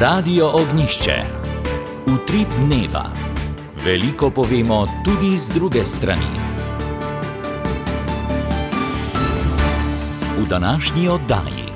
Radio Ognjišče. Utrip dneva. Veliko povemo tudi z druge strani. V današnji oddaji.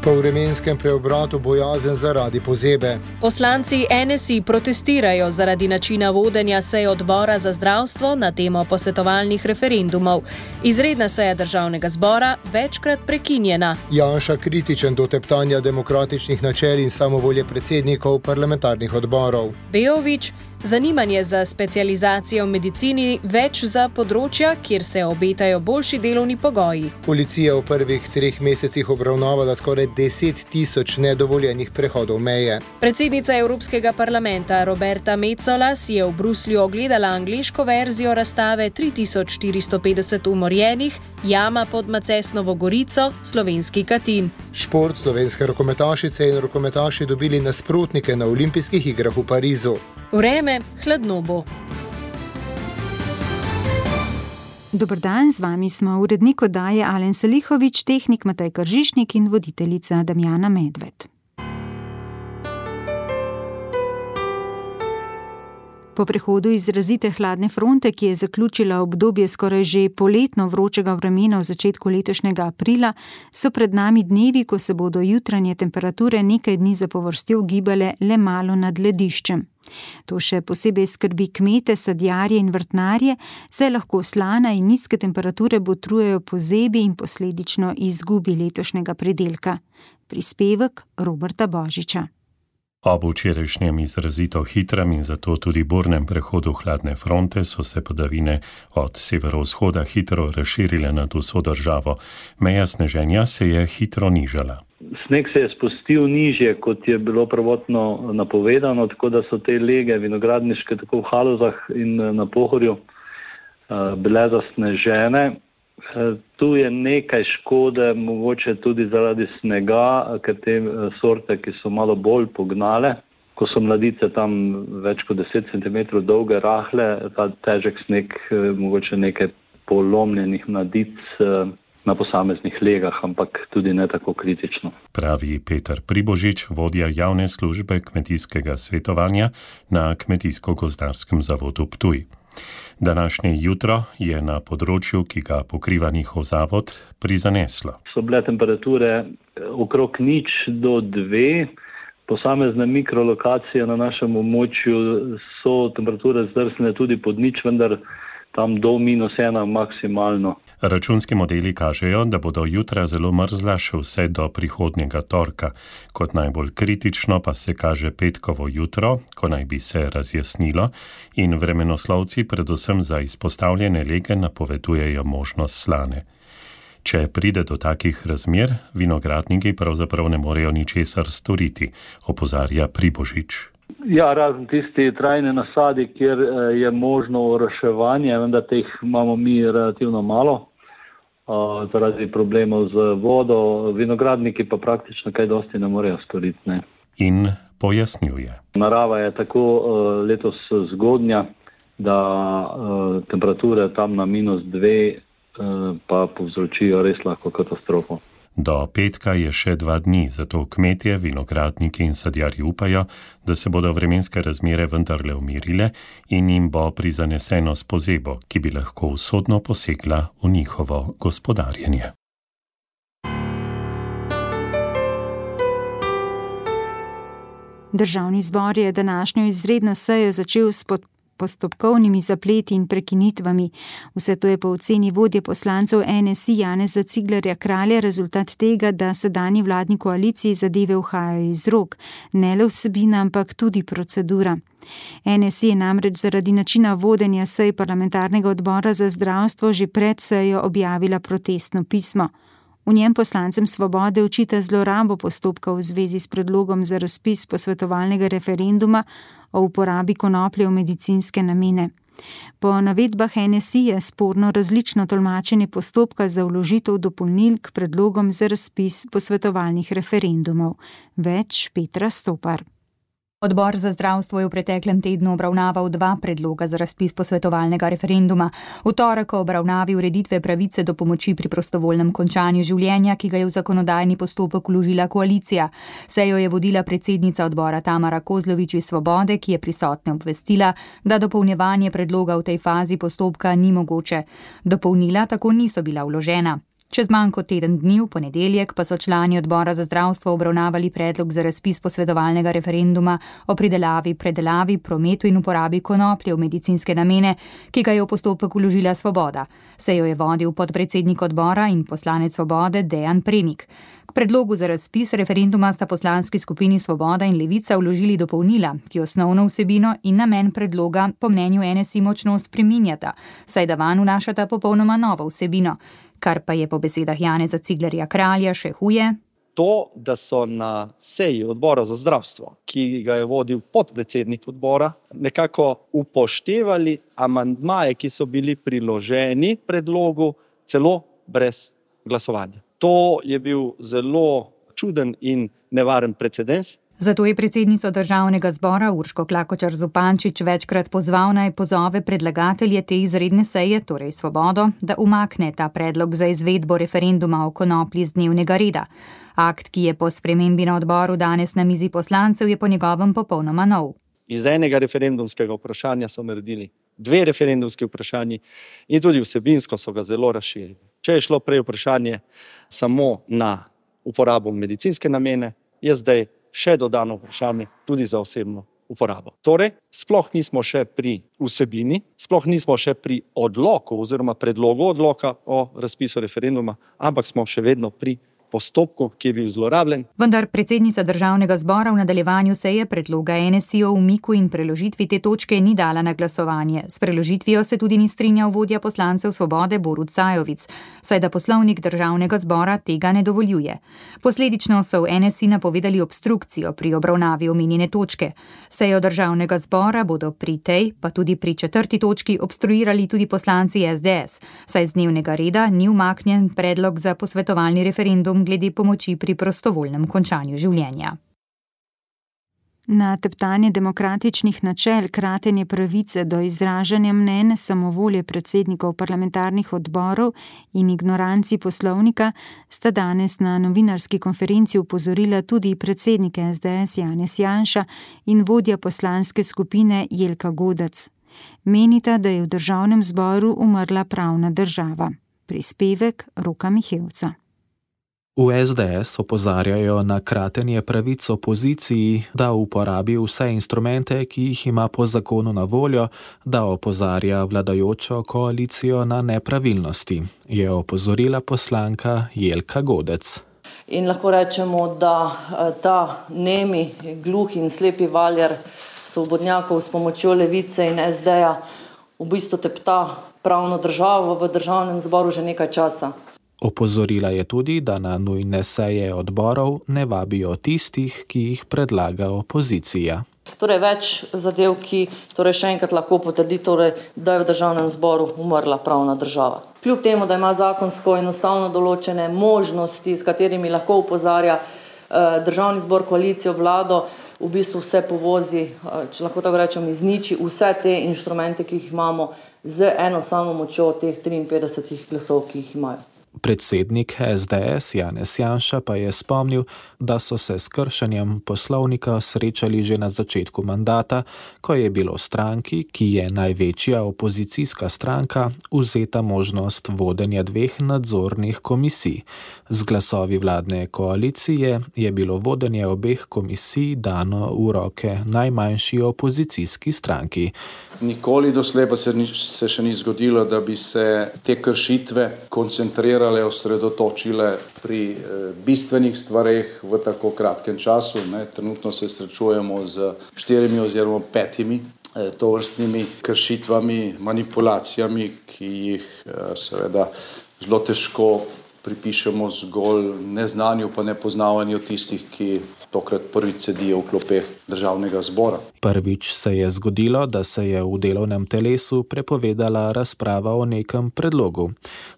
Po vremenskem preobratu bojazen zaradi pozebe. Poslanci NSI protestirajo zaradi načina vodenja sej odbora za zdravstvo na temo posvetovalnih referendumov. Izredna seja državnega zbora večkrat prekinjena. Janša kritičen do teptanja demokratičnih načel in samovolje predsednikov parlamentarnih odborov. Bejović, zanimanje za specializacijo v medicini več za področja, kjer se obetajo boljši delovni pogoji. Policija v prvih 3 mesecih obravnavala skoraj 10.000 nedovoljenih prehodov meje. Predsednica Evropskega parlamenta Roberta Metsola si je v Bruslju ogledala angleško verzijo razstave 3450 umorjenih, jama pod Macesnovo Gorico, slovenski Katin. Šport, slovenske rokometašice in rokometaši dobili nasprotnike na olimpijskih igrah v Parizu. Vreme hladno bo. Dober dan, z vami smo urednik oddaje Alen Salihović, tehnik Matej Kržišnik in voditeljica Damjana Medved. Po prehodu izrazite hladne fronte, ki je zaključila obdobje skoraj že poletno vročega vremena v začetku letošnjega aprila, so pred nami dnevi, ko se bodo jutranje temperature nekaj dni zapovrstjo gibale le malo nad lediščem. To še posebej skrbi kmete, sadjarje in vrtnarje, saj lahko slana in nizke temperature botrujejo pozebi in posledično izgubi letošnjega pridelka. Prispevek Roberta Božiča. Ob včerajšnjem izrazito hitrem in zato tudi burnem prehodu hladne fronte so se padavine od severovzhoda hitro razširile nad vso državo. Meja sneženja se je hitro nižala. Sneg se je spustil nižje, kot je bilo prvotno napovedano, tako da so te lege vinogradniške tako v Halozah in na Pohorju bile zasnežene. Tu je nekaj škode, mogoče tudi zaradi snega, ker te sorte, ki so malo bolj pognale, ko so mladice tam več kot 10 cm dolge, rahle, ta težek sneg, mogoče nekaj polomljenih mladic na posameznih legah, ampak tudi ne tako kritično. Pravi Peter Pribožič, vodja javne službe kmetijskega svetovanja na Kmetijsko-gozdarskem zavodu Ptuj. Današnje jutro je na področju, ki ga pokriva njihov zavod, prizaneslo. So bile temperature okrog 0 do 2. Posamezne mikrolokacije na našem območju so temperature zdrsne tudi pod 0, vendar tam do -1 maksimalno. Računski modeli kažejo, da bodo jutra zelo mrzla še vse do prihodnjega torka. Kot najbolj kritično pa se kaže petkovo jutro, ko naj bi se razjasnilo, in vremenoslovci predvsem za izpostavljene lege napovedujejo možnost slane. Če pride do takih razmer, vinogradniki pravzaprav ne morejo ničesar storiti, opozarja Pribožič. Ja, razen tisti trajne nasadi, kjer je možno oroševanje, vendar teh imamo mi relativno malo, zaradi problemov z vodo, vinogradniki pa praktično kaj dosti ne morejo storiti. Ne. In pojasnjuje. Narava je tako letos zgodnja, da temperature tam na -2 pa povzročijo res lahko katastrofo. Do petka je še 2 dni, zato kmetje, vinogradniki in sadjarji upajo, da se bodo vremenske razmere vendarle umirile in jim bo prizaneseno s pozebo, ki bi lahko usodno posegla v njihovo gospodarjenje. Državni zbor je današnjo izredno sejo začel s postopkovnimi zapleti in prekinitvami. Vse to je po oceni vodje poslancev NSI Janeza Ciglerja Kralja rezultat tega, da sedanji vladni koaliciji zadeve uhajajo iz rok. Ne le vsebina, ampak tudi procedura. NSI je namreč zaradi načina vodenja sej parlamentarnega odbora za zdravstvo že pred sejo objavila protestno pismo. V njem poslancem Svobode očita zlorabo postopka v zvezi s predlogom za razpis posvetovalnega referenduma o uporabi konoplje v medicinske namene. Po navedbah NSI je sporno različno tolmačenje postopka za vložitev dopolnil k predlogom za razpis posvetovalnih referendumov. Več Petra Stopar. Odbor za zdravstvo je v preteklem tednu obravnaval 2 predloga za razpis posvetovalnega referenduma. V torek o obravnavi ureditve pravice do pomoči pri prostovoljnem končanju življenja, ki ga je v zakonodajni postopek vložila koalicija. Sejo je vodila predsednica odbora Tamara Kozlovič iz Svobode, ki je prisotne obvestila, da dopolnjevanje predloga v tej fazi postopka ni mogoče. Dopolnila tako niso bila vložena. Čez manj kot teden dni, v ponedeljek, pa so člani odbora za zdravstvo obravnavali predlog za razpis posvetovalnega referenduma o pridelavi, predelavi, prometu in uporabi konoplje v medicinske namene, ki ga je v postopek vložila Svoboda. Sejo je vodil podpredsednik odbora in poslanec Svobode Dejan Premik. K predlogu za razpis referenduma sta poslanski skupini Svoboda in Levica vložili dopolnila, ki osnovno vsebino in namen predloga po mnenju NSI močno spreminjata, saj da vanj vnašata popolnoma novo vsebino. Kar pa je po besedah Janeza Ciglerja Kralja še huje. To, da so na seji odbora za zdravstvo, ki ga je vodil podpredsednik odbora, nekako upoštevali amandmaje, ki so bili priloženi predlogu, celo brez glasovanja. To je bil zelo čuden in nevaren precedens. Zato je predsednico Državnega zbora Urško Klakočar Zupančič večkrat pozval, naj pozove predlagatelje te izredne seje, torej Svobodo, da umakne ta predlog za izvedbo referenduma o konoplji z dnevnega reda. Akt, ki je po spremembi na odboru danes na mizi poslancev, je po njegovem popolnoma nov. Iz enega referendumskega vprašanja so naredili 2 referendumski vprašanji in tudi vsebinsko so ga zelo razširili. Če je šlo prej vprašanje samo na uporabo medicinske namene, je zdaj še dodano vprašanje tudi za osebno uporabo. Torej, sploh nismo še pri vsebini, sploh nismo še pri odloku oziroma predlogu odloka o razpisu referenduma, ampak smo še vedno pri postopku, ki je bil zlorabljen. Vendar predsednica Državnega zbora v nadaljevanju seje predloga NSI o umiku in preložitvi te točke ni dala na glasovanje. S preložitvijo se tudi ni strinjal vodja poslancev Svobode Borut Sajovic, saj da poslovnik Državnega zbora tega ne dovoljuje. Posledično so v NSI napovedali obstrukcijo pri obravnavi omenjene točke. Sejo Državnega zbora bodo pri tej, pa tudi pri 4. točki obstruirali tudi poslanci SDS, saj z dnevnega reda ni umaknjen predlog za posvetovalni referendum glede pomoči pri prostovoljnem končanju življenja. Na teptanje demokratičnih načel, kratenje pravice do izražanja mnenj, samovolje predsednikov parlamentarnih odborov in ignoranci poslovnika sta danes na novinarski konferenci upozorila tudi predsednik SDS Janez Janša in vodja poslanske skupine Jelka Godec. Menita, da je v Državnem zboru umrla pravna država. Prispevek Roka Mihevca. V SDS opozarjajo na kratenje pravic opoziciji, da uporabi vse instrumente, ki jih ima po zakonu na voljo, da opozarja vladajočo koalicijo na nepravilnosti, je opozorila poslanka Jelka Godec. In lahko rečemo, da ta nemi, gluhi in slepi valjar svobodnjakov s pomočjo Levice in SD-ja v bistvu tepta pravno državo v Državnem zboru že nekaj časa. Opozorila je tudi, da na nujne seje odborov ne vabijo tistih, ki jih predlaga opozicija. Torej več zadev, ki še enkrat lahko potrdi, da je v Državnem zboru umrla pravna država. Kljub temu, da ima zakonsko in ustavno določene možnosti, s katerimi lahko opozarja Državni zbor, koalicijo, vlado, v bistvu vse povozi, če lahko tako rečem, izniči vse te inštrumente, ki jih imamo, z eno samo močjo teh 53 glasov, ki jih imajo. Predsednik SDS Janez Janša pa je spomnil, da so se s kršenjem poslovnika srečali že na začetku mandata, ko je bilo stranki, ki je največja opozicijska stranka, vzeta možnost vodenja 2 nadzornih komisij. Z glasovi vladne koalicije je bilo vodenje obeh komisij dano v roke najmanjši opozicijski stranki. Nikoli doslej pa se še ni zgodilo, da bi se te kršitve koncentrirale, osredotočile pri bistvenih stvareh v tako kratkem času. Trenutno se srečujemo z 4 oziroma 5 tovrstnimi kršitvami, manipulacijami, ki jih seveda zelo težko pripišemo zgolj neznanju pa nepoznavanju tistih, ki tokrat prvič sedijo v klopeh državnega zbora. Prvič se je zgodilo, da se je v delovnem telesu prepovedala razprava o nekem predlogu.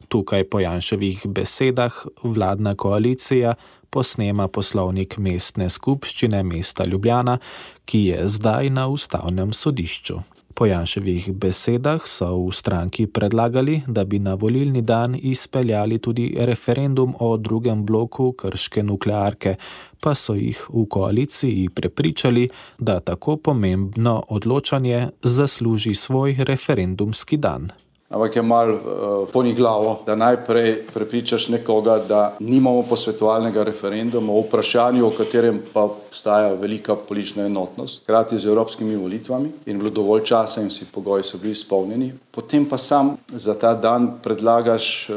Tukaj po Janševih besedah vladna koalicija posnema poslovnik mestne skupščine mesta Ljubljana, ki je zdaj na ustavnem sodišču. Po Janševih besedah so v stranki predlagali, da bi na volilni dan izpeljali tudi referendum o drugem bloku krške nuklearke, pa so jih v koaliciji prepričali, da tako pomembno odločanje zasluži svoj referendumski dan. Ampak je malo poniglavo, da najprej prepričaš nekoga, da nimamo posvetovalnega referenduma o vprašanju, o katerem pa obstaja velika politična enotnost, hkrati z evropskimi volitvami in bilo dovolj časa in vsi pogoji so bili izpolnjeni. Potem pa sam za ta dan predlagaš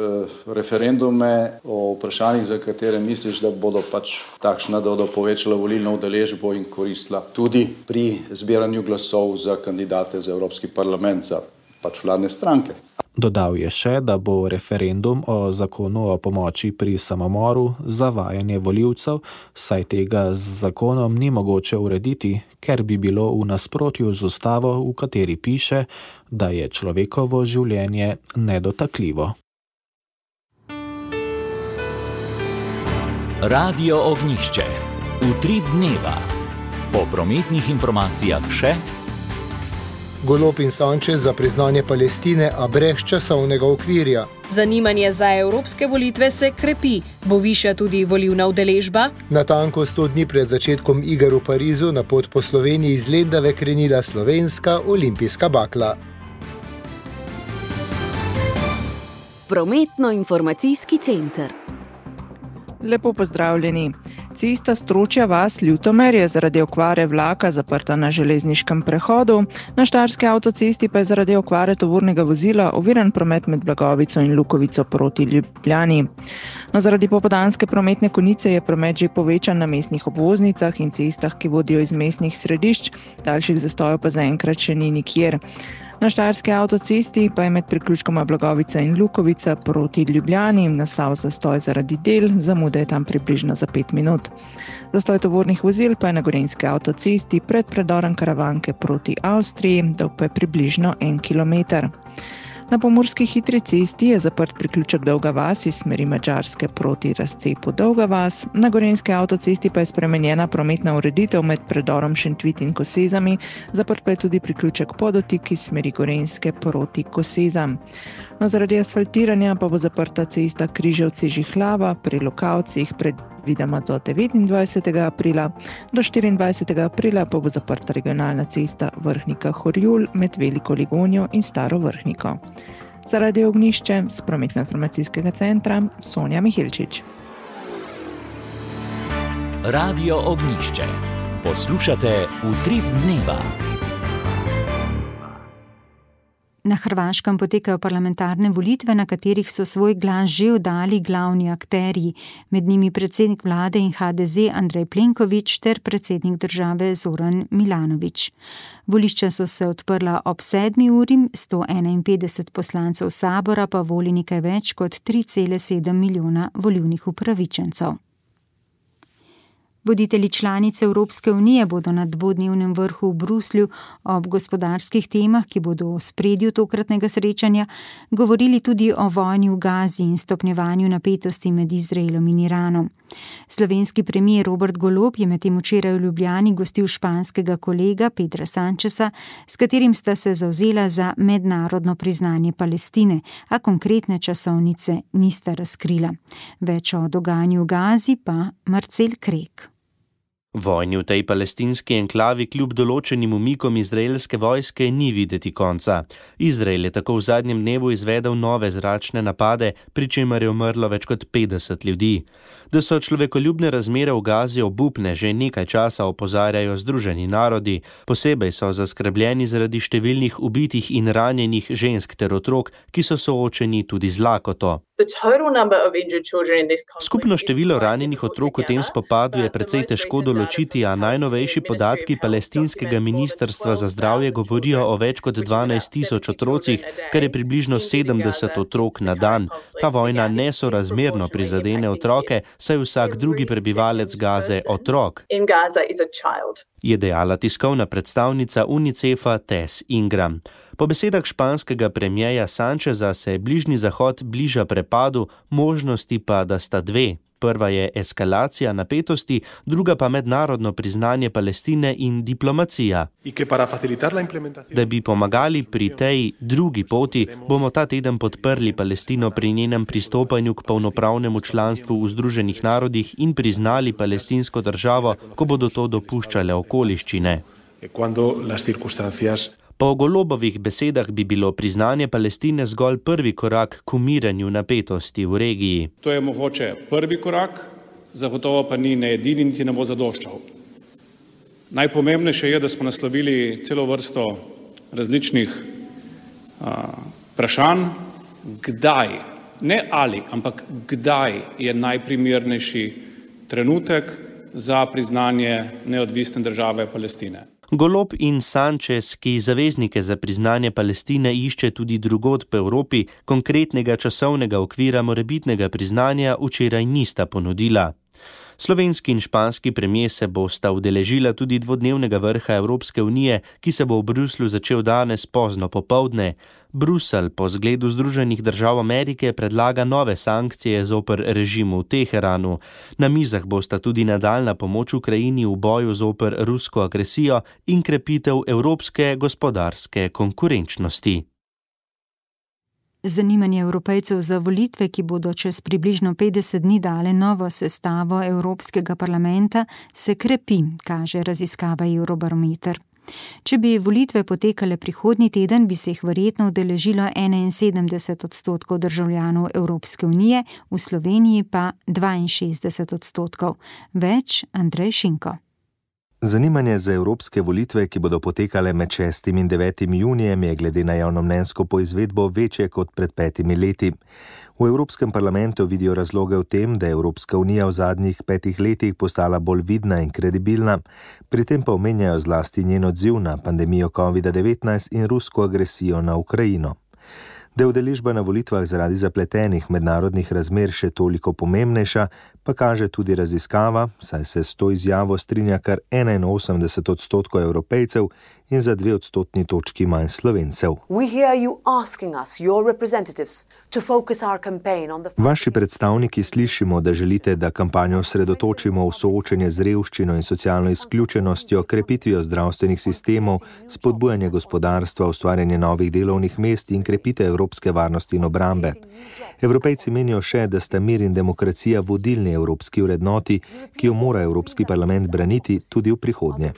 referendume o vprašanjih, za katere misliš, da bodo pač takšna, da bodo povečala volilno udeležbo in koristila tudi pri zbiranju glasov za kandidate za Evropski parlament, za pač vladne stranke. Dodal je še, da bo referendum o zakonu o pomoči pri samomoru zavajanje volivcev, saj tega z zakonom ni mogoče urediti, ker bi bilo v nasprotju z ustavo, v kateri piše, da je človekovo življenje nedotakljivo. Radio Ognjišče. Utrip dneva. Po prometnih informacijah še Golob in Sanchez za priznanje Palestine, a brez časovnega okvirja. Zanimanje za evropske volitve se krepi. Bo višja tudi volilna udeležba? Natanko 100 dni pred začetkom iger v Parizu na pot po Sloveniji iz Lendave krenila slovenska olimpijska bakla. Prometno-informacijski center. Lepo pozdravljeni. Cesta Stročja vas Ljutomer je zaradi okvare vlaka zaprta na železniškem prehodu, na Štajerski avtocesti pa je zaradi okvare tovornega vozila oviran promet med Blagovico in Lukovico proti Ljubljani. No, zaradi popoldanske prometne konice je promet že povečan na mestnih obvoznicah in cestah, ki vodijo iz mestnih središč, daljših zastojev pa zaenkrat še ni nikjer. Na Štajerski avtocesti pa je med priključkoma Blagovica in Lukovica proti Ljubljani nastal zastoj zaradi del, zamuda je tam približno za 5 minut. Zastoj tovornih vozil pa je na Gorenjski avtocesti pred predorom Karavanke proti Avstriji, dolg pa je približno 1 kilometer. Na pomurski hitri cesti je zaprt priključek Dolga vas iz smeri Madžarske proti razcepu Dolga vas, na Gorenjski avtocesti pa je spremenjena prometna ureditev med predorom Šentvit in Kosezami, zaprt pa je tudi priključek Podotik iz smeri Gorenjske proti Kosezam. No, zaradi asfaltiranja pa bo zaprta cesta Križevci-Žihlava pri Lokavcih predvidoma do 29. aprila, do 24. aprila pa bo zaprta regionalna cesta Vrhnika-Horjul med Veliko Ligonjo in Staro Vrhniko. Zaradi Ognjišče z prometno-informacijskega centra Sonja Mihilčič. Radio Ognjišče. Poslušate Utrip dneva. Na Hrvaškem potekajo parlamentarne volitve, na katerih so svoj glas že oddali glavni akterji, med njimi predsednik vlade in HDZ Andrej Plenković ter predsednik države Zoran Milanović. Volišča so se odprla ob 7. uri, 151 poslancev sabora pa voli nekaj več kot 3,7 milijona volilnih upravičencev. Voditelji članice Evropske unije bodo na dvodnevnem vrhu v Bruslju ob gospodarskih temah, ki bodo v ospredju tokratnega srečanja, govorili tudi o vojni v Gazi in stopnjevanju napetosti med Izraelom in Iranom. Slovenski premier Robert Golob je medtem včeraj v Ljubljani gostil španskega kolega Pedra Sancheza, s katerim sta se zavzela za mednarodno priznanje Palestine, a konkretne časovnice nista razkrila. Več o dogajanju v Gazi pa Marcel Krek. Vojni v tej palestinski enklavi kljub določenim umikom izraelske vojske ni videti konca. Izrael je tako v zadnjem dnevu izvedel nove zračne napade, pri čemer je umrlo več kot 50 ljudi. Da so človekoljubne razmere v Gazi obupne, že nekaj časa opozarjajo Združeni narodi. Posebej so zaskrbljeni zaradi številnih ubitih in ranjenih žensk ter otrok, ki so soočeni tudi z lakoto. Skupno število ranjenih otrok v tem spopadu je precej težko določiti, a najnovejši podatki palestinskega ministrstva za zdravje govorijo o več kot 12.000 otrocih, kar je približno 70 otrok na dan. Ta vojna nesorazmerno prizadene otroke, saj vsak drugi prebivalec Gaze otrok, je dejala tiskovna predstavnica UNICEF-a Tess Ingram. Po besedah španskega premierja Sancheza se Bližnji zahod bliža prepadu, možnosti pa, da sta dve. Prva je eskalacija napetosti, druga pa mednarodno priznanje Palestine in diplomacija. Da bi pomagali pri tej drugi poti, bomo ta teden podprli Palestino pri njenem pristopanju k polnopravnemu članstvu v Združenih narodih in priznali palestinsko državo, ko bodo to dopuščale okoliščine. Po Golobovih besedah bi bilo priznanje Palestine zgolj prvi korak k umiranju napetosti v regiji. To je mogoče prvi korak, zagotovo pa ni ne edini, niti ne bo zadoščal. Najpomembnejše je, da smo naslovili celo vrsto različnih vprašanj, kdaj, ne ali, ampak kdaj je najprimernejši trenutek za priznanje neodvisne države Palestine. Golob in Sanchez, ki zaveznike za priznanje Palestine išče tudi drugod po Evropi, konkretnega časovnega okvira morebitnega priznanja včeraj nista ponudila. Slovenski in španski premier se bosta udeležila tudi dvodnevnega vrha Evropske unije, ki se bo v Bruslju začel danes pozno popoldne. Bruselj po zgledu Združenih držav Amerike predlaga nove sankcije zoper režim v Teheranu. Na mizah bosta tudi nadaljna pomoč Ukrajini v boju zoper rusko agresijo in krepitev evropske gospodarske konkurenčnosti. Zanimanje Evropejcev za volitve, ki bodo čez približno 50 dni dale novo sestavo Evropskega parlamenta, se krepi, kaže raziskava Eurobarometer. Če bi volitve potekale prihodnji teden, bi se jih verjetno udeležilo 71% državljanov Evropske unije, v Sloveniji pa 62%. Več Andrej Šinko. Zanimanje za evropske volitve, ki bodo potekale med 6. in 9. junijem, je glede na javnomnenjsko poizvedbo večje kot pred 5 leti. V Evropskem parlamentu vidijo razloge v tem, da je Evropska unija v zadnjih 5 letih postala bolj vidna in kredibilna, pri tem pa omenjajo zlasti njen odziv na pandemijo COVID-19 in rusko agresijo na Ukrajino. Da je udeležba na volitvah zaradi zapletenih mednarodnih razmer še toliko pomembnejša, pa kaže tudi raziskava, saj se s to izjavo strinja kar 81% Evropejcev in za 2 odstotni točki manj Slovencev. Vaši predstavniki slišimo, da želite, da kampanjo osredotočimo v soočenje z revščino in socialno izključenostjo, krepitvijo zdravstvenih sistemov, spodbujanje gospodarstva, ustvarjanje novih delovnih mest in krepitev evropske varnosti in obrambe. Evropejci menijo še, da sta mir in demokracija vodilni evropski vrednoti, ki jo mora Evropski parlament braniti tudi v prihodnje.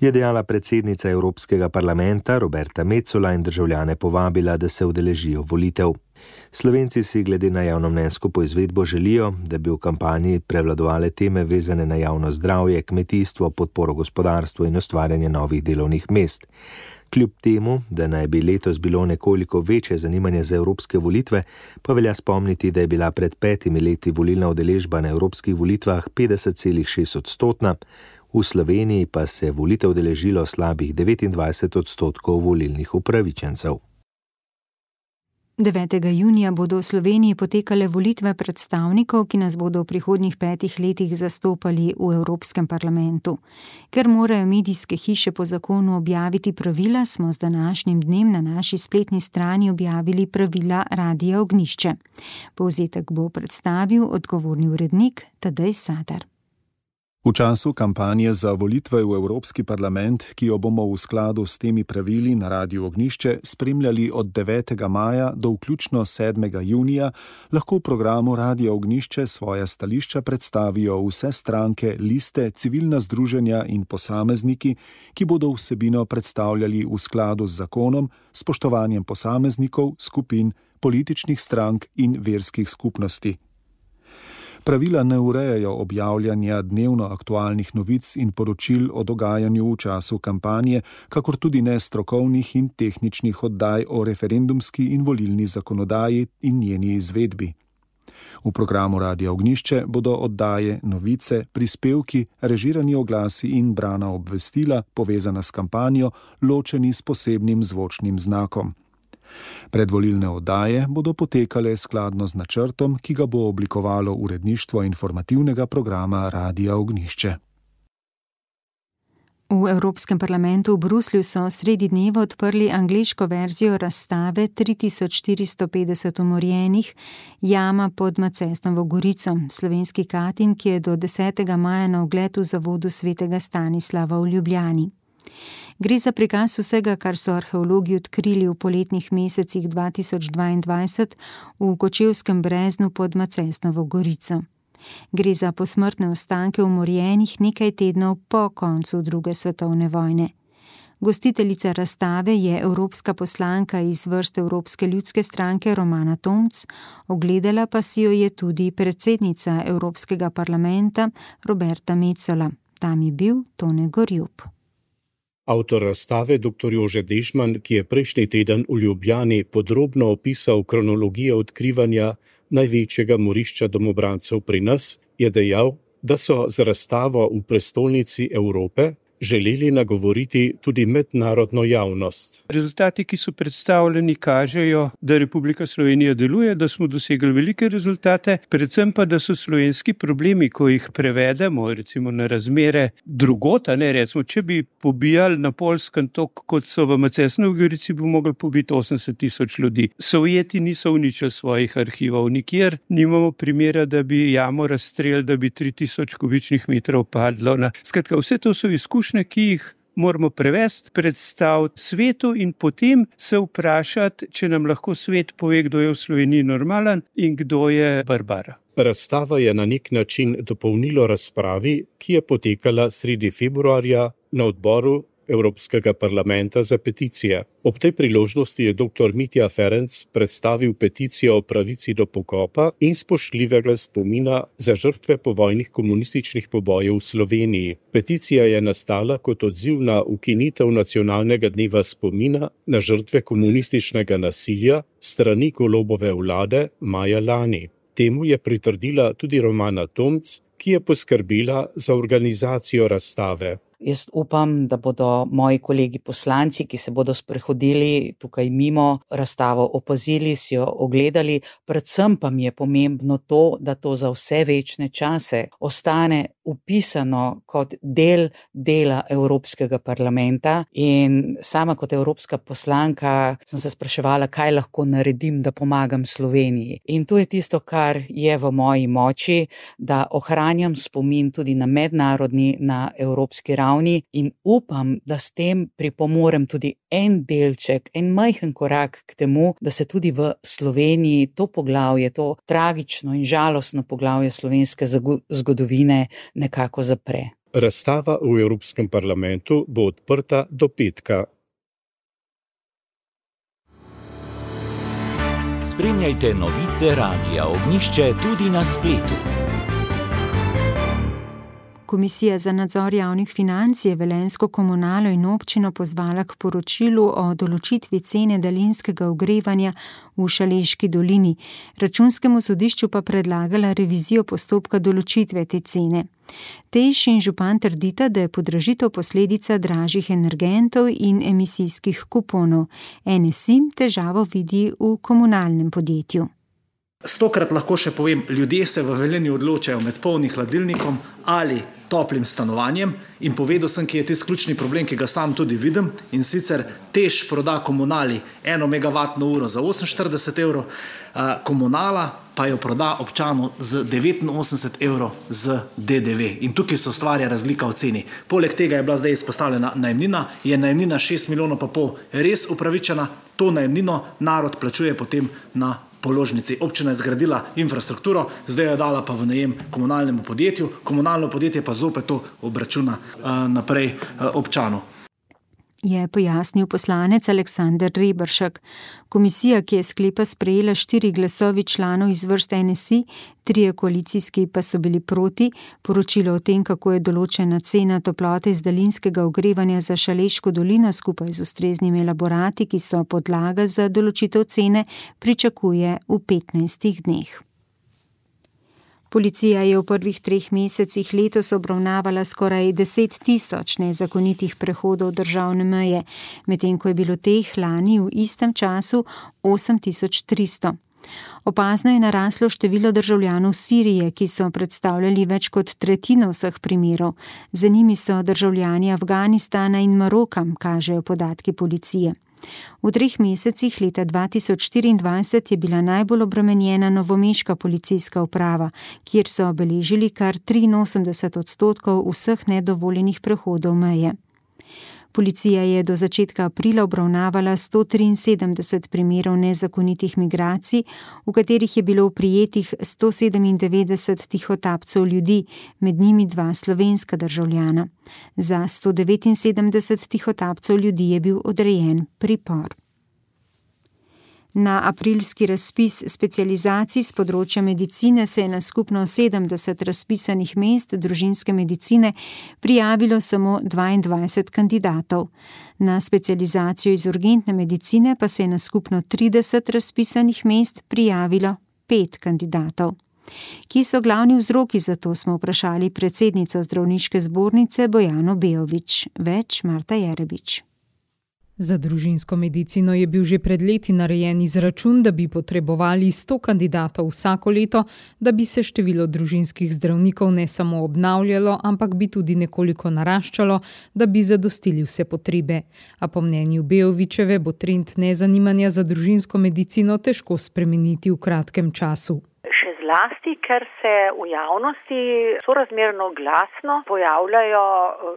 Je dejala predsednica Evropskega parlamenta Roberta Metsola in državljane povabila, da se udeležijo volitev. Slovenci si glede na javnomnenjsko poizvedbo želijo, da bi v kampanji prevladovale teme vezane na javno zdravje, kmetijstvo, podporo gospodarstvu in ustvarjanje novih delovnih mest. Kljub temu, da naj bi letos bilo nekoliko večje zanimanje za evropske volitve, pa velja spomniti, da je bila pred 5 leti volilna udeležba na evropskih volitvah 50,6%, v Sloveniji pa se je volitev udeležilo slabih 29% volilnih upravičencev. 9. junija bodo v Sloveniji potekale volitve predstavnikov, ki nas bodo v prihodnjih 5 letih zastopali v Evropskem parlamentu. Ker morajo medijske hiše po zakonu objaviti pravila, smo z današnjim dnem na naši spletni strani objavili pravila Radia Ognjišče. Povzetek bo predstavil odgovorni urednik Tadej Sadar. V času kampanje za volitve v Evropski parlament, ki jo bomo v skladu s temi pravili na Radiu Ognjišče spremljali od 9. maja do vključno 7. junija, lahko v programu Radia Ognjišče svoja stališča predstavijo vse stranke, liste, civilna združenja in posamezniki, ki bodo vsebino predstavljali v skladu z zakonom, spoštovanjem posameznikov, skupin, političnih strank in verskih skupnosti. Pravila ne urejajo objavljanja dnevno aktualnih novic in poročil o dogajanju v času kampanje, kakor tudi ne strokovnih in tehničnih oddaj o referendumski in volilni zakonodaji in njeni izvedbi. V programu Radia Ognjišče bodo oddaje, novice, prispevki, režirani oglasi in brana obvestila, povezana s kampanjo, ločeni s posebnim zvočnim znakom. Predvolilne oddaje bodo potekale skladno z načrtom, ki ga bo oblikovalo uredništvo informativnega programa Radia Ognjišče. V Evropskem parlamentu v Bruslju so sredi dneva odprli angleško verzijo razstave 3450 umorjenih, jama pod Macesnovo Gorico, slovenski Katin, ki je do 10. maja na ogled v zavodu svetega Stanislava v Ljubljani. Gre za prikaz vsega, kar so arheologi odkrili v poletnih mesecih 2022 v Kočevskem breznu pod Macesnovo Gorico. Gre za posmrtne ostanke umorjenih nekaj tednov po koncu II. Svetovne vojne. Gostiteljica razstave je evropska poslanka iz vrst Evropske ljudske stranke Romana Tomc, ogledala pa si jo je tudi predsednica Evropskega parlamenta Roberta Metsola. Tam je bil Tone Gorjup. Avtor razstave dr. Jože Dežman, ki je prejšnji teden v Ljubljani podrobno opisal kronologijo odkrivanja največjega morišča domobrancev pri nas, je dejal, da so z razstavo v prestolnici Evrope želeli nagovoriti tudi mednarodno javnost. Rezultati, ki so predstavljeni, kažejo, da Republika Slovenija deluje, da smo dosegli velike rezultate, predvsem pa, da so slovenski problemi, ko jih prevedemo, recimo na razmere drugota, recimo, če bi pobijali na Poljskem tok, kot so v Macesnovi Gorici, bi mogli pobiti 80,000 ljudi. Sovjeti niso uničili svojih arhivov, nikjer nimamo primera, da bi jamo razstrelili, da bi 3000 kubičnih metrov padlo. Skratka, vse to so izkušnje, ki jih moramo prevesti, predstaviti svetu in potem se vprašati, če nam lahko svet pove, kdo je v Sloveniji normalen in kdo je barbar. Razstava je na nek način dopolnilo razpravi, ki je potekala sredi februarja na odboru Evropskega parlamenta za peticije. Ob tej priložnosti je dr. Mitja Ferenc predstavil peticijo o pravici do pokopa in spoštljivega spomina za žrtve povojnih komunističnih pobojev v Sloveniji. Peticija je nastala kot odziv na ukinitev nacionalnega dneva spomina na žrtve komunističnega nasilja strani Golobove vlade maja lani. Temu je pritrdila tudi Romana Tomc, ki je poskrbela za organizacijo razstave. Jaz upam, da bodo moji kolegi poslanci, ki se bodo sprehodili tukaj mimo razstavo, opazili, si jo ogledali. Predvsem pa mi je pomembno to, da to za vse večne čase ostane upisano kot del dela Evropskega parlamenta. In sama kot evropska poslanka sem se spraševala, kaj lahko naredim, da pomagam Sloveniji. In to je tisto, kar je v moji moči, da ohranjam spomin tudi na mednarodni, na evropski ravni. In upam, da s tem pripomorem tudi en delček, en majhen korak k temu, da se tudi v Sloveniji to poglavje, to tragično in žalostno poglavje slovenske zgodovine nekako zapre. Razstava v Evropskem parlamentu bo odprta do petka. Spremljajte novice Radia Ognjišče tudi na spletu. Komisija za nadzor javnih financ je Velenjsko komunalo in občino pozvala k poročilu o določitvi cene daljinskega ogrevanja v Šaleški dolini. Računskemu sodišču pa predlagala revizijo postopka določitve te cene. Tejš in župan trdita, da je podražitev posledica dražjih energentov in emisijskih kuponov. NSI težavo vidi v komunalnem podjetju. 100-krat lahko še povem, ljudje se v Velenju odločajo med polnim hladilnikom ali toplim stanovanjem in povedal sem, ki je tisti ključni problem, ki ga sam tudi vidim, in sicer Teš proda komunali 1 megavatno uro za 48 evrov, komunala pa jo proda občanu z 89 evrov z DDV. In tukaj se ustvarja razlika v ceni. Poleg tega je bila zdaj izpostavljena najemnina, je najemnina 6,5 milijona res upravičena, to najemnino narod plačuje potem na položnici. Občina je zgradila infrastrukturo, zdaj jo dala pa v najem komunalnemu podjetju, komunalno podjetje pa zopet to obračuna naprej občanu. Je pojasnil poslanec Aleksander Reberšek. Komisija, ki je sklepa sprejela 4 glasovi članov iz vrst NSI, 3 koalicijski pa so bili proti, poročilo o tem, kako je določena cena toplote iz daljinskega ogrevanja za Šaleško dolino skupaj z ustreznimi elaborati, ki so podlaga za določitev cene, pričakuje v 15 dneh. Policija je v prvih 3 mesecih letos obravnavala skoraj 10 000 nezakonitih prehodov državne meje, medtem ko je bilo teh lani v istem času 8300. Opazno je naraslo število državljanov Sirije, ki so predstavljali več kot tretjino vseh primerov. Za njimi so državljani Afganistana in Maroka, kažejo podatki policije. V 3 mesecih leta 2024 je bila najbolj obremenjena novomeška policijska uprava, kjer so beležili kar 83% vseh nedovoljenih prehodov meje. Policija je do začetka aprila obravnavala 173 primerov nezakonitih migracij, v katerih je bilo prijetih 197 tihotapcev ljudi, med njimi 2 slovenska državljana. Za 179 tihotapcev ljudi je bil odrejen pripor. Na aprilski razpis specializacij z področja medicine se je na skupno 70 razpisanih mest družinske medicine prijavilo samo 22 kandidatov. Na specializacijo iz urgentne medicine pa se je na skupno 30 razpisanih mest prijavilo 5 kandidatov. Kje so glavni vzroki za to, smo vprašali predsednico zdravniške zbornice Bojano Beović. Več Marta Jerebič. Za družinsko medicino je bil že pred leti narejen izračun, da bi potrebovali 100 kandidatov vsako leto, da bi se število družinskih zdravnikov ne samo obnavljalo, ampak bi tudi nekoliko naraščalo, da bi zadostili vse potrebe. A po mnenju Beovićeve bo trend nezanimanja za družinsko medicino težko spremeniti v kratkem času. Zlasti, ker se v javnosti sorazmerno glasno pojavljajo,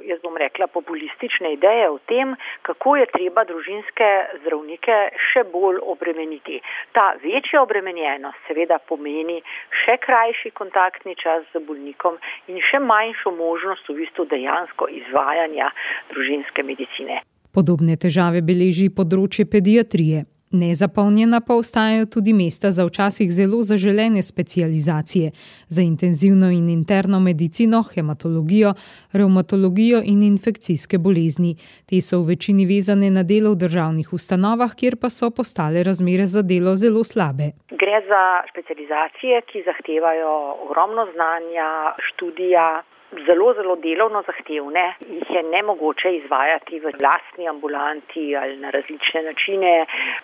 jaz bom rekla, populistične ideje o tem, kako je treba družinske zdravnike še bolj obremeniti. Ta večja obremenjenost seveda pomeni še krajši kontaktni čas z bolnikom in še manjšo možnost v bistvu dejansko izvajanja družinske medicine. Podobne težave beleži področje pediatrije. Nezapolnjena pa ostajajo tudi mesta za včasih zelo zaželene specializacije za intenzivno in interno medicino, hematologijo, revmatologijo in infekcijske bolezni. Te so v večini vezane na delo v državnih ustanovah, kjer pa so postale razmere za delo zelo slabe. Gre za specializacije, ki zahtevajo ogromno znanja, študija, zelo delovno zahtevne, jih je nemogoče izvajati v lastni ambulanti ali na različne načine,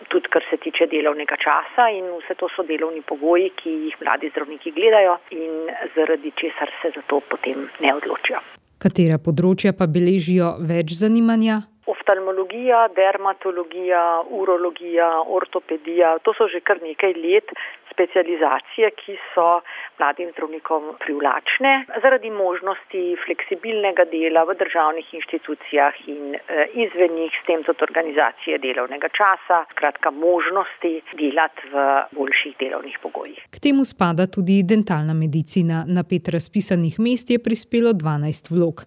tudi kar se tiče delovnega časa, in vse to so delovni pogoji, ki jih mladi zdravniki gledajo in zaradi česar se za to potem ne odločijo. Katera področja pa beležijo več zanimanja? Oftalmologija, dermatologija, urologija, ortopedija, to so že kar nekaj let specializacije, ki so mladim zdravnikom privlačne zaradi možnosti fleksibilnega dela v državnih inštitucijah in izven njih, s tem tudi organizacije delovnega časa, skratka možnosti delati v boljših delovnih pogojih. K temu spada tudi dentalna medicina. Na 5 razpisanih mest je prispelo 12 vlog.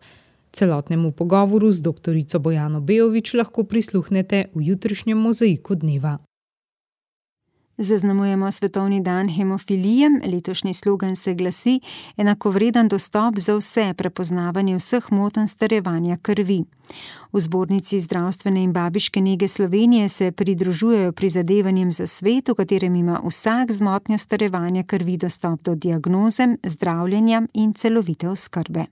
Celotnemu pogovoru z doktorico Bojano Beović lahko prisluhnete v jutrišnjem Mozaiku dneva. Zaznamujemo Svetovni dan hemofilije. Letošnji slogan se glasi: enakovreden dostop za vse, prepoznavanje vseh motenj starevanja krvi. V Zbornici zdravstvene in babiške nege Slovenije se pridružujejo prizadevanjem za svet, v katerem ima vsak z motnjo starevanja krvi dostop do diagnoze, zdravljenja in celovite oskrbe.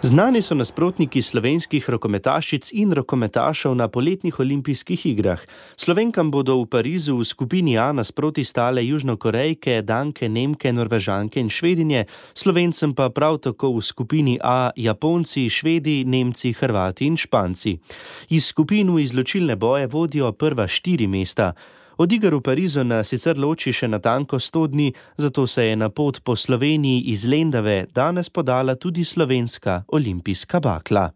Znani so nasprotniki slovenskih rokometašic in rokometašev na poletnih olimpijskih igrah. Slovenkam bodo v Parizu v skupini A nasproti stale Južnokorejke, Danke, Nemke, Norvežanke in Švedinje, Slovencem pa prav tako v skupini A Japonci, Švedi, Nemci, Hrvati in Španci. Iz skupin v izločilne boje vodijo prva 4 mesta. Od iger v Parizu nas sicer loči še natanko 100 dni, zato se je na pot po Sloveniji iz Lendave danes podala tudi slovenska olimpijska bakla.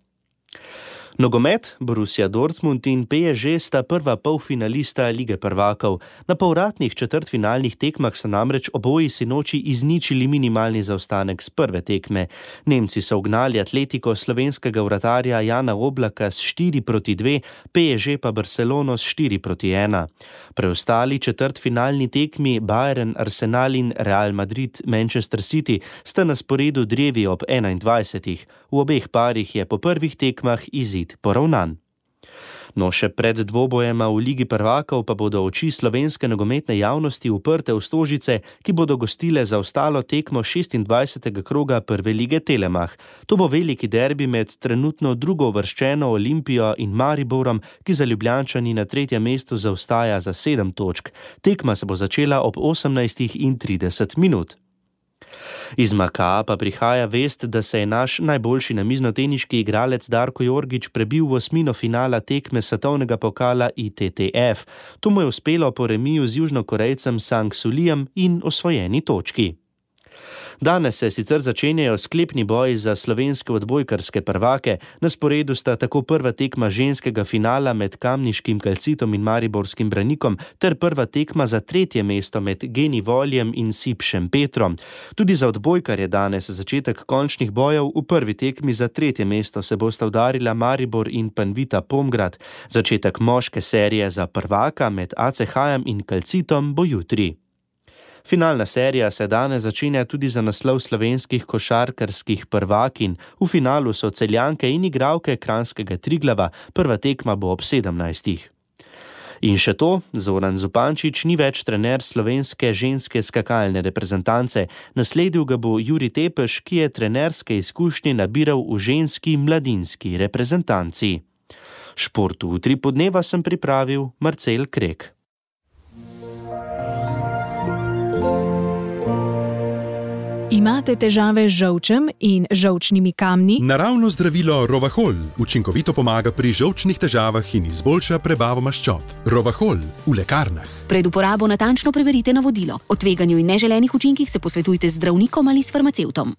Nogomet, Borussia Dortmund in PSG sta prva polfinalista Lige prvakov. Na povratnih četrtfinalnih tekmah so namreč oboji sinoči izničili minimalni zaostanek z prve tekme. Nemci so ugnali Atletiko slovenskega vratarja Jana Oblaka s 4-2, PSG pa Barcelono s 4-1. Preostali četrtfinalni tekmi Bayern, Arsenal in Real Madrid, Manchester City sta na sporedu drevi ob 21. V obeh parih je po prvih tekmah izid poravnan. No, še pred dvobojema v Ligi prvakov pa bodo oči slovenske nogometne javnosti uprte v Stožice, ki bodo gostile za ostalo tekmo 26. kroga prve lige Telemach. To bo veliki derbi med trenutno drugouvrščeno Olimpijo in Mariborom, ki za Ljubljančani na 3. mestu zaostaja za 7 točk. Tekma se bo začela ob 18:30. Iz Makaa pa prihaja vest, da se je naš najboljši namiznoteniški igralec Darko Jorgić prebil v osmino finala tekme svetovnega pokala ITTF. To mu je uspelo po remiju z Južnokorejcem Sang Sulijem in osvojeni točki. Danes se sicer začenjajo sklepni boji za slovenske odbojkarske prvake. Na sporedu sta tako prva tekma ženskega finala med kamniškim Kalcitom in mariborskim Branikom ter prva tekma za 3. mesto med Geni Voljem in Sipšem Petrom. Tudi za odbojkar je danes začetek končnih bojev. V prvi tekmi za 3. mesto se bosta udarila Maribor in Panvita Pomgrad. Začetek moške serije za prvaka med ACH-jem in Kalcitom bo jutri. Finalna serija se danes začenja tudi za naslov slovenskih košarkarskih prvakinj. V finalu so Celjanke in igralke kranjskega Triglava. Prva tekma bo ob 17. In še to, Zoran Zupančič ni več trener slovenske ženske skakalne reprezentance. Nasledil ga bo Jurij Tepeš, ki je trenerske izkušnje nabiral v ženski mladinski reprezentanci. Šport v Utripu dneva sem pripravil Marcel Krek. Imate težave z žolčem in žolčnimi kamni? Naravno zdravilo Rovahol učinkovito pomaga pri žolčnih težavah in izboljša prebavo maščob. Rovahol v lekarnah. Pred uporabo natančno preverite navodilo. O tveganju in neželenih učinkih se posvetujte z zdravnikom ali s farmacevtom.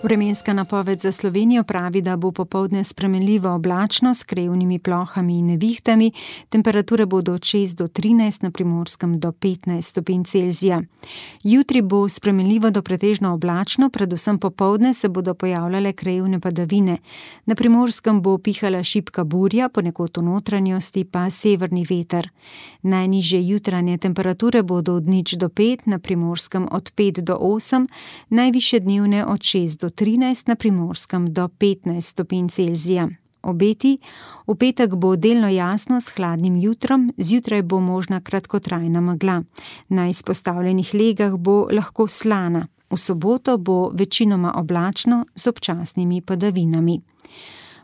Vremenska napoved za Slovenijo pravi, da bo popoldne spremenljivo oblačno s krevnimi plohami in nevihtami. Temperature bodo od 6 do 13, na Primorskem do 15 stopinj Celzija. Jutri bo spremenljivo do pretežno oblačno, predvsem popoldne se bodo pojavljale krajevne padavine. Na Primorskem bo pihala šibka burja, ponekod v notranjosti pa severni veter. Najnižje jutranje temperature bodo od 0 do 5, na Primorskem od 5 do 8, najvišje dnevne od 6 do 13, na Primorskem do 15 stopinj Celzija. Obeti: v petek bo delno jasno s hladnim jutrom, zjutraj bo možna kratkotrajna megla. Na izpostavljenih legah bo lahko slana. V soboto bo večinoma oblačno z občasnimi padavinami.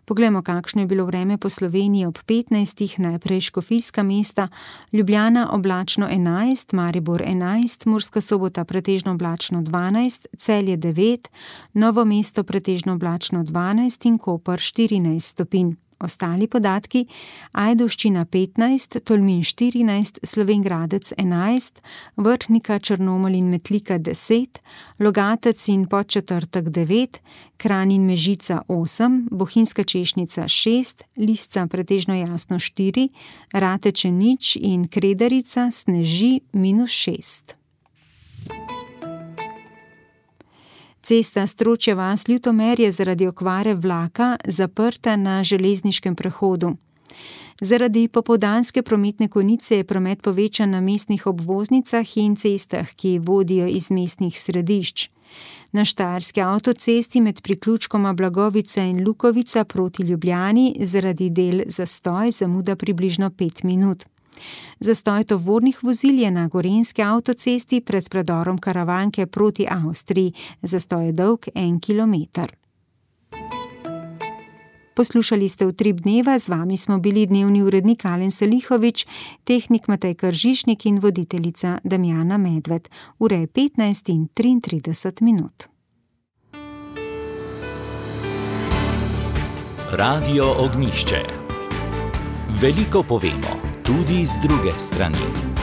Poglejmo, kakšno je bilo vreme po Sloveniji ob 15. Najprej škofijska mesta: Ljubljana oblačno 11, Maribor 11, Murska Sobota pretežno oblačno 12, Celje 9, Novo mesto pretežno oblačno 12 in Koper 14 stopinj. Ostali podatki: Ajdovščina 15, Tolmin 14, Slovenj Gradec 11, Vrhnika, Črnomelj in Metlika 10, Logatec in Podčetrtek 9, Kranj in Mežica 8, Bohinjska Češnica 6, Lisca pretežno jasno 4, Rateče 0 in Kredarica sneži -6. Cesta Stročja vas-Ljutomer je zaradi okvare vlaka zaprta na železniškem prehodu. Zaradi popoldanske prometne konice je promet povečan na mestnih obvoznicah in cestah, ki vodijo iz mestnih središč. Na štajerski avtocesti med priključkoma Blagovica in Lukovica proti Ljubljani zaradi del zastoj, zamuda približno 5 minut. Zastoj tovornih vozil je na gorenjski avtocesti pred predorom Karavanke proti Avstriji. Zastoj je dolg 1 kilometer. Poslušali ste Utrip dneva, z vami smo bili dnevni urednik Alen Salihovič, tehnik Matej Kržišnik in voditeljica Damjana Medved. Ura je 15:33. Radio Ognjišče. Veliko povemo, tudi z druge strani.